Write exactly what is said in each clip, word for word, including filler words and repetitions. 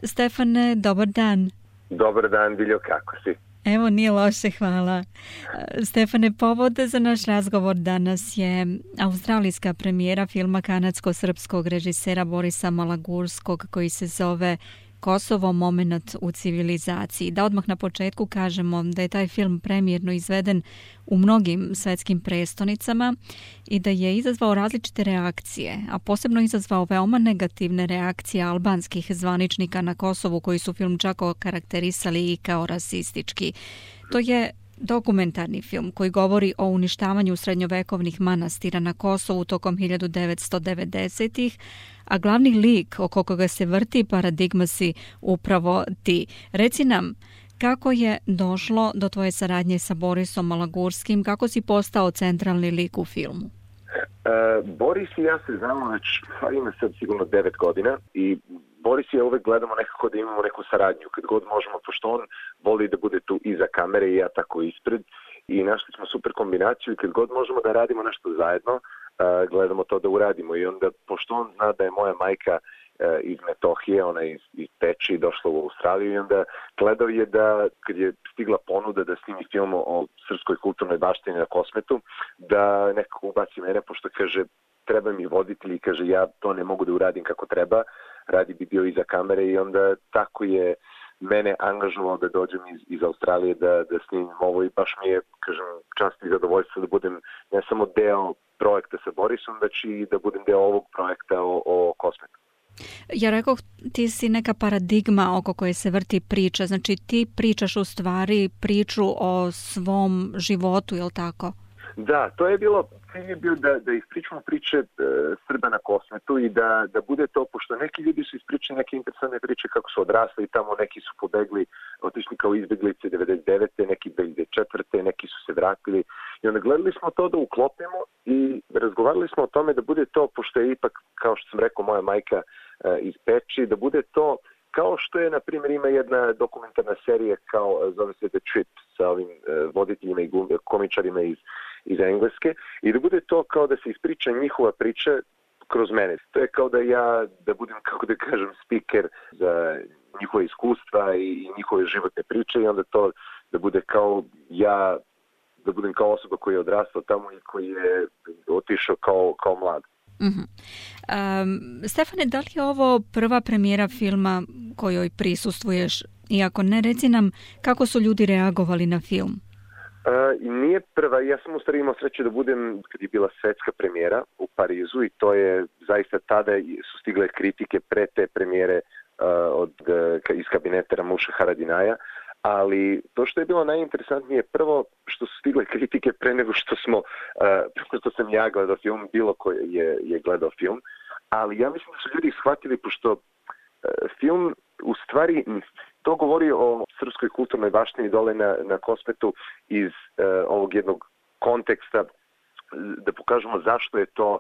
Stefane, dobar dan. Dobar dan, Biljo, kako si? Evo, nije loše, hvala. Stefane, povod za naš razgovor danas je australijska premijera filma kanadsko-srpskog režisera Borisa Malagurskog koji se zove Kosovo, momenat u civilizaciji. Da odmah na početku kažemo da je taj film premijerno izveden u mnogim svetskim prestonicama i da je izazvao različite reakcije, a posebno izazvao veoma negativne reakcije albanskih zvaničnika na Kosovu koji su film čak okarakterisali i kao rasistički. To je dokumentarni film koji govori o uništavanju srednjovekovnih manastira na Kosovu tokom hiljadu devetsto devedesetih, a glavni lik oko koga se vrti paradigma si upravo ti. Reci nam, kako je došlo do tvoje saradnje sa Borisom Malagurskim, kako si postao centralni lik u filmu? Uh, Boris i ja se znamo već, ima sad sigurno devet godina i Boris i ja uvek gledamo nekako da imamo neku saradnju, kad god možemo, pošto on voli da bude tu iza kamere i ja tako ispred i našli smo super kombinaciju i kad god možemo da radimo nešto zajedno, uh, gledamo to da uradimo i onda, pošto on zna da je moja majka iz Metohije, ona iz, iz Peči došla u Australiju i onda gledao je da, kad je stigla ponuda da snimi film o srpskoj kulturnoj baštini na Kosmetu, da nekako ubaci mene, pošto kaže, treba mi voditelj i kaže, ja to ne mogu da uradim kako treba, radi bi bio iza kamere i onda tako je mene angažovao da dođem iz, iz Australije da, da snimim ovo i baš mi je, kažem, čast i zadovoljstvo da budem ne samo deo projekta sa Borisom, već i da budem deo ovog projekta o, o Kosmetu. Ja rekao, ti si neka paradigma oko koje se vrti priča, znači ti pričaš u stvari priču o svom životu, je li tako? Da, to je bilo, cilj je bio da, da ispričamo priče e, Srba na Kosmetu i da, da bude to, pošto neki ljudi su ispričali neke interesantne priče kako su odrasli i tamo neki su pobegli, otišli kao izbjeglice devedeset devete neki devedeset četvrte neki su se vratili i onda gledali smo to da uklopimo i razgovarali smo o tome da bude to, pošto je ipak, kao što sam rekao, moja majka e, iz Peči, da bude to kao što je, na primjer, ima jedna dokumentarna serija kao, zove se The Trip, sa ovim e, voditeljima i komičarima iz iz Engleske i da bude to kao da se ispriča njihova priča kroz mene. To je kao da ja, da budem, kako da kažem, speaker za njihove iskustva i njihove životne priče i onda to da bude kao ja, da budem kao osoba koja je odrastao tamo i koji je otišao kao, kao mlad. Mm-hmm. Um, Stefane, da li je ovo prva premijera filma kojoj prisustvuješ? Iako ne, reci nam kako su ljudi reagovali na film? Uh, nije prva, ja sam u stvari imao sreće da budem kad je bila svetska premijera u Parizu i to je zaista tada su stigle kritike pre te premijere uh, od, uh, iz kabineta Ramuša Haradinaja, ali to što je bilo najinteresantnije prvo što su stigle kritike pre nego što smo, uh, pre što sam ja gledao film, bilo ko je, je gledao film, ali ja mislim da su ljudi shvatili pošto uh, film u stvari to govori o srpskoj kulturnoj baštini dole na, na Kosmetu iz uh, ovog jednog konteksta da pokažemo zašto je to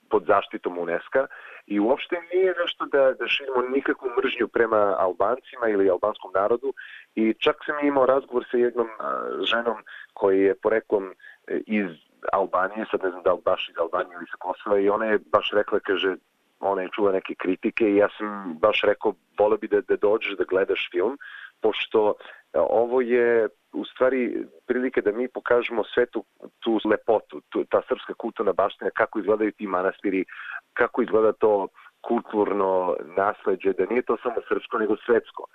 pod zaštitom UNESCO i uopšte nije nešto da, da širimo nikakvu mržnju prema Albancima ili albanskom narodu i čak sam imao razgovor sa jednom uh, ženom koji je poreklom iz Albanije, sad ne znam da li baš iz Albanije ili sa Kosova i ona je baš rekla, kaže, ona je čula neke kritike i ja sam baš rekao, voleo bi da, da dođeš da gledaš film, pošto ovo je u stvari prilike da mi pokažemo svetu tu lepotu, tu, ta srpska kulturna baština, kako izgledaju ti manastiri, kako izgleda to kulturno nasleđe, da nije to samo srpsko nego svetsko.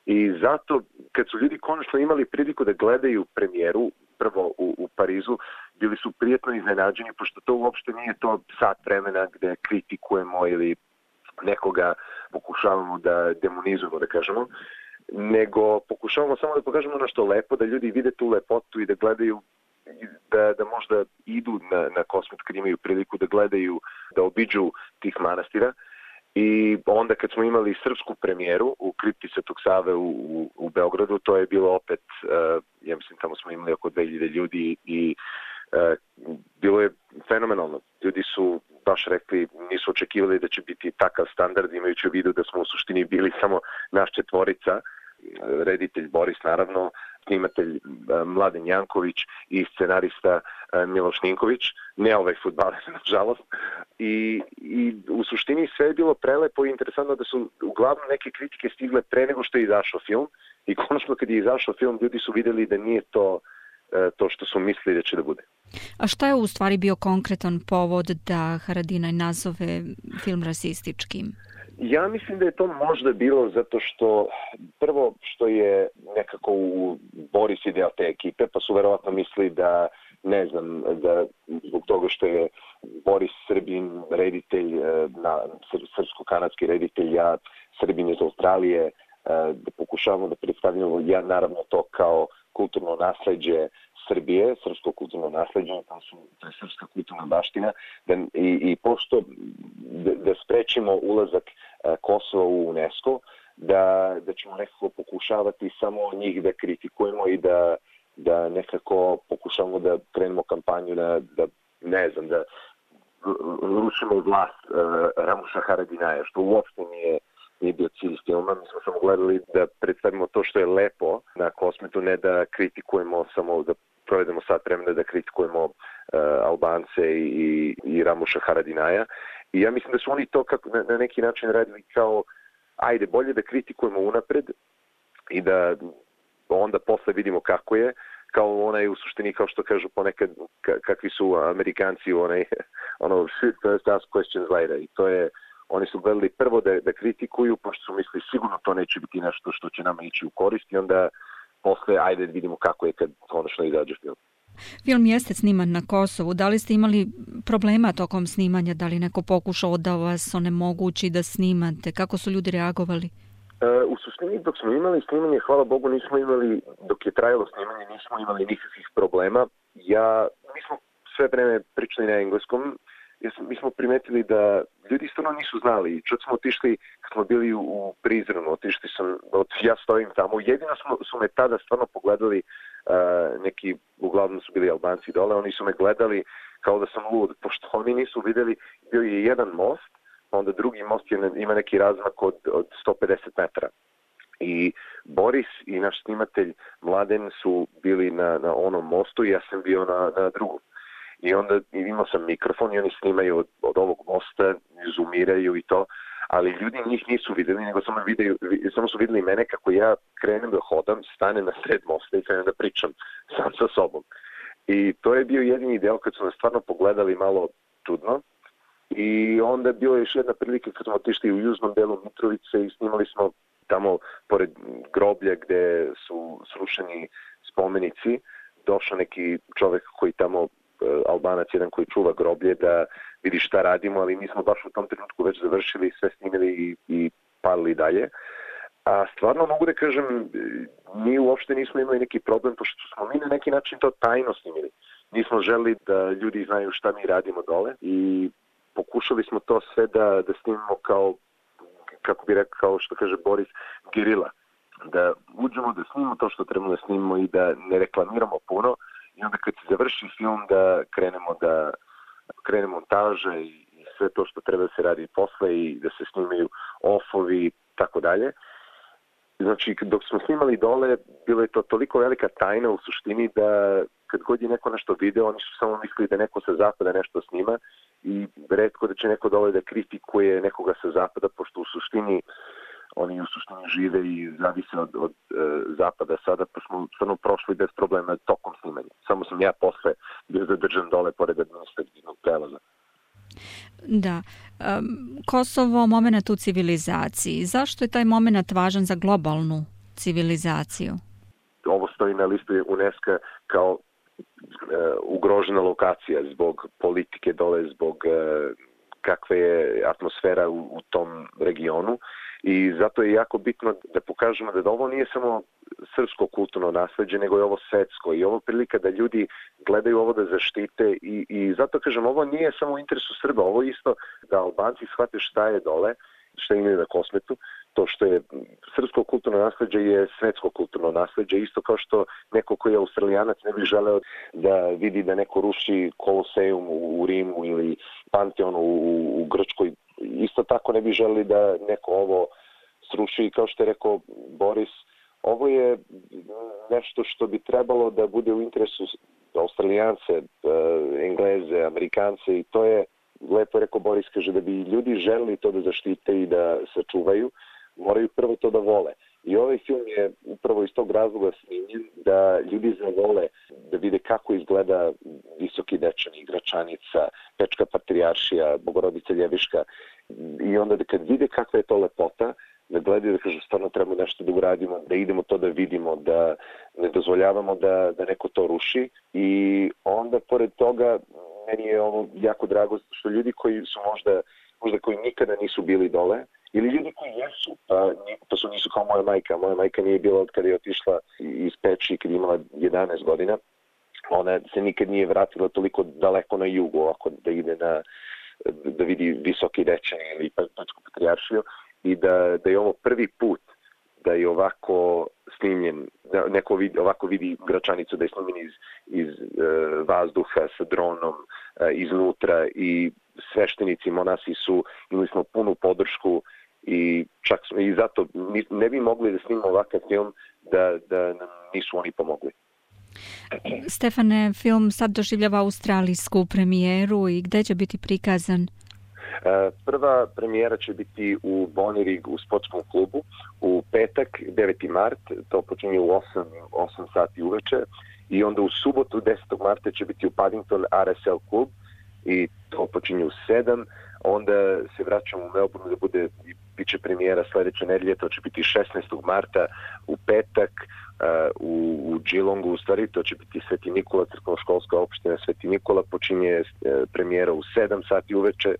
I zato kad su ljudi konačno imali priliku da gledaju premijeru, prvo u, u Parizu, bili su prijetno iznenađeni, pošto to uopšte nije to sat vremena gde kritikujemo ili nekoga pokušavamo da demonizujemo, da kažemo, nego pokušavamo samo da pokažemo nešto lepo, da ljudi vide tu lepotu i da gledaju, da, da možda idu na, na Kosmet kad imaju priliku da gledaju, da obiđu tih manastira. I onda kad smo imali srpsku premijeru u kripti Svetog Save u, u, u Beogradu, to je bilo opet, uh, ja mislim tamo smo imali oko dve hiljade ljudi i uh, bilo je fenomenalno. Ljudi su baš rekli, nisu očekivali da će biti takav standard, imajući u vidu da smo u suštini bili samo naš četvorica reditelj Boris naravno, snimatelj Mladen Janković i scenarista Miloš Ninković, ne ovaj fudbaler, nažalost. I, I u suštini sve je bilo prelepo i interesantno da su uglavnom neke kritike stigle pre nego što je izašao film i konačno kad je izašao film ljudi su vidjeli da nije to to što su mislili da će da bude. A šta je u stvari bio konkretan povod da Haradinaj nazove film rasističkim? Ja mislim da je to možda bilo zato što prvo što je nekako u Boris je deo te ekipe, pa su verovatno mislili da, ne znam, da zbog toga što je Boris Srbin reditelj, na, srpsko-kanadski reditelj, ja Srbin iz Australije, da pokušavamo da predstavljamo ja naravno to kao kulturno nasleđe Srbije, srpsko kulturno nasleđe, to, su, to je srpska kulturna baština, da, i, i pošto da, da sprečimo ulazak a, Kosova u UNESCO, da, da ćemo nekako pokušavati samo njih da kritikujemo i da, da nekako pokušavamo da krenemo kampanju da, da ne znam, da rušimo vlast a, Ramuša Haradinaja, što uopšte nije nije bio cilj filma. Mi smo samo gledali da predstavimo to što je lepo na Kosmetu, ne da kritikujemo samo, da provedemo sat vremena da kritikujemo uh, Albance i, i Ramuša Haradinaja. I ja mislim da su oni to kako, na, na neki način radili kao ajde, bolje da kritikujemo unapred i da onda posle vidimo kako je, kao onaj u suštini, kao što kažu ponekad, kakvi su Amerikanci, onaj, ono, shoot first, ask questions later. I to je oni su gledali prvo da, da kritikuju, pošto su mislili sigurno to neće biti nešto što će nama ići u korist i onda posle ajde vidimo kako je kad konačno izađe film. Film jeste sniman na Kosovu. Da li ste imali problema tokom snimanja? Da li neko pokušao da vas onemogući da snimate? Kako su ljudi reagovali? Uh, u suštini dok smo imali snimanje, hvala Bogu, nismo imali, dok je trajalo snimanje, nismo imali nikakvih problema. Ja, mi smo sve vreme pričali na engleskom. Mi smo primetili da ljudi stvarno nisu znali. Čak smo otišli, kad smo bili u Prizrenu, otišli sam, ja stojim tamo. Jedino smo, su me tada stvarno pogledali, uh, neki, uglavnom su bili Albanci dole, oni su me gledali kao da sam lud, pošto oni nisu vidjeli, bio je jedan most, onda drugi most je, ima neki razmak od, od sto pedeset metara. I Boris i naš snimatelj Mladen su bili na, na onom mostu i ja sam bio na, na drugom. I onda imao sam mikrofon i oni snimaju od, od ovog mosta, zoomiraju i to, ali ljudi njih nisu videli, nego samo, videli, samo su videli mene kako ja krenem da hodam, stanem na sred mosta i krenem da pričam sam sa sobom. I to je bio jedini deo kad su nas stvarno pogledali malo čudno. I onda bilo je još jedna prilika kad smo otišli u južnom delu Mitrovice i snimali smo tamo pored groblja gde su srušeni spomenici, došao neki čovek koji tamo Albanac, jedan koji čuva groblje, da vidi šta radimo, ali mi smo baš u tom trenutku već završili, sve snimili i, i palili dalje. A stvarno mogu da kažem, mi uopšte nismo imali neki problem, pošto smo mi na neki način to tajno snimili. Nismo želeli da ljudi znaju šta mi radimo dole i pokušali smo to sve da, da snimimo kao, kako bi rekao, kao što kaže Boris, gerila. Da uđemo, da snimimo to što trebamo da snimimo i da ne reklamiramo puno. I onda kad se završi film da krenemo da krenemo montaže i sve to što treba da se radi posle i da se snimaju offovi i tako dalje. Znači, dok smo snimali dole, bilo je to toliko velika tajna u suštini da kad god je neko nešto video, oni su samo mislili da neko sa zapada nešto snima i retko da će neko dole da kritikuje nekoga sa zapada, pošto u suštini oni u suštini žive i zavise od, od e, zapada sada, pa smo stvarno prošli bez problema tokom snimanja. Samo sam ja posle bio zadržan dole pored administrativnog prelaza. Da. Um, Kosovo, moment u civilizaciji. Zašto je taj moment važan za globalnu civilizaciju? Ovo stoji na listu UNESCO kao uh, ugrožena lokacija zbog politike dole, zbog uh, kakva je atmosfera u, u tom regionu. I zato je jako bitno da pokažemo da ovo nije samo srpsko kulturno nasleđe, nego je ovo svetsko i ovo prilika da ljudi gledaju ovo da zaštite i, i zato kažem, ovo nije samo u interesu Srba, ovo isto da Albanci shvate šta je dole, šta imaju na Kosmetu, to što je srpsko kulturno nasleđe je svetsko kulturno nasleđe, isto kao što neko koji je Australijanac ne bi želeo da vidi da neko ruši Koloseum u, u Rimu ili Panteon u, u Grčkoj, isto tako ne bi želeli da neko ovo sruši i kao što je rekao Boris, ovo je nešto što bi trebalo da bude u interesu Australijance, Engleze, Amerikance i to je, lepo je rekao Boris, kaže da bi ljudi želeli to da zaštite i da sačuvaju, moraju prvo to da vole. I ovaj film je upravo iz tog razloga snimljen da ljudi zavole da vide kako izgleda Visoki Dečani, Gračanica, Pečka Patrijaršija, Bogorodica Ljeviška. I onda da kad vide kakva je to lepota, da gledaju da kažu stvarno treba nešto da uradimo, da idemo to da vidimo, da ne dozvoljavamo da, da neko to ruši. I onda pored toga meni je ovo jako drago što ljudi koji su možda, možda koji nikada nisu bili dole, ili ljudi koji jesu, pa, pa su nisu kao moja majka. Moja majka nije bila od kada je otišla iz Peći kad je imala jedanaest godina. Ona se nikad nije vratila toliko daleko na jugu, ovako da ide na, da vidi Visoki Dečani ili Pečku Patrijaršiju i da, da je ovo prvi put da je ovako snimljen, da neko vidi, ovako vidi Gračanicu, da je snimljen iz, iz uh, vazduha sa dronom uh, iznutra i sveštenici, monasi su, imali smo punu podršku i čak i zato ne bi mogli da snimamo ovakav film da, da nam nisu oni pomogli. Stefane, film sad doživljava australijsku premijeru i gde će biti prikazan? Prva premijera će biti u Bonnyrigg u sportskom klubu u petak, deveti mart, to počinje u osam sati uveče i onda u subotu desetog marta će biti u Paddington R S L klub i to počinje u sedam, onda se vraćamo u Melbourne da bude, bit će premijera sledeće nedelje, to će biti šesnaestog marta u petak uh, u, u Geelongu, u stvari to će biti Sveti Nikola, crkveno-školska opština Sveti Nikola, počinje uh, premijera u sedam sati uveče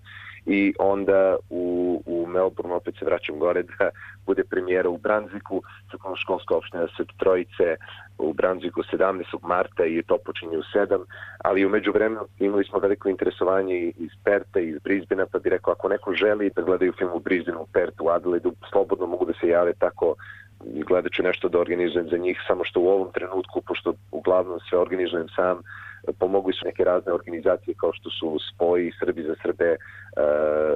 i onda u, u Melbourne opet se vraćam gore da bude premijera u Brunswicku, crkveno-školska opština Svete Trojice u Brunswicku sedamnaestog marta i to počinje u sedam, ali u međuvremenu imali smo veliko interesovanje iz Perta i iz Brisbanea, pa bi rekao ako neko želi da gledaju film u Brisbaneu, u Pertu, u Adelaidu, slobodno mogu da se jave tako i gledat ću nešto da organizujem za njih, samo što u ovom trenutku, pošto uglavnom sve organizujem sam, pomogli su neke razne organizacije kao što su Spoji, Srbi za Srbe, uh,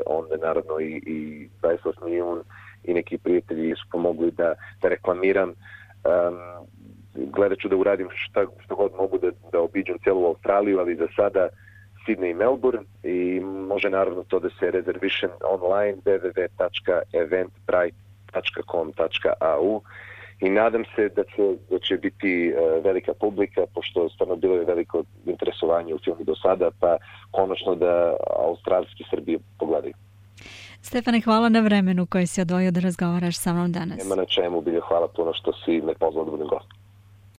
onda naravno i, i dvadeset osam milijun i neki prijatelji su pomogli da, da reklamiram. Um, gledat ću da uradim šta, što god mogu da, da obiđem celu Australiju, ali za sada Sydney i Melbourne i može naravno to da se reservišem online w w w tačka eventbrite tačka com tačka a u i nadam se da će, da će biti uh, velika publika, pošto stvarno bilo je veliko interesovanje u filmu do sada, pa konačno da australski Srbi pogledaju. Stefane, hvala na vremenu koje si odvojio da razgovaraš sa mnom danas. Nema na čemu, bilje, hvala puno što si me pozvao da budem gost.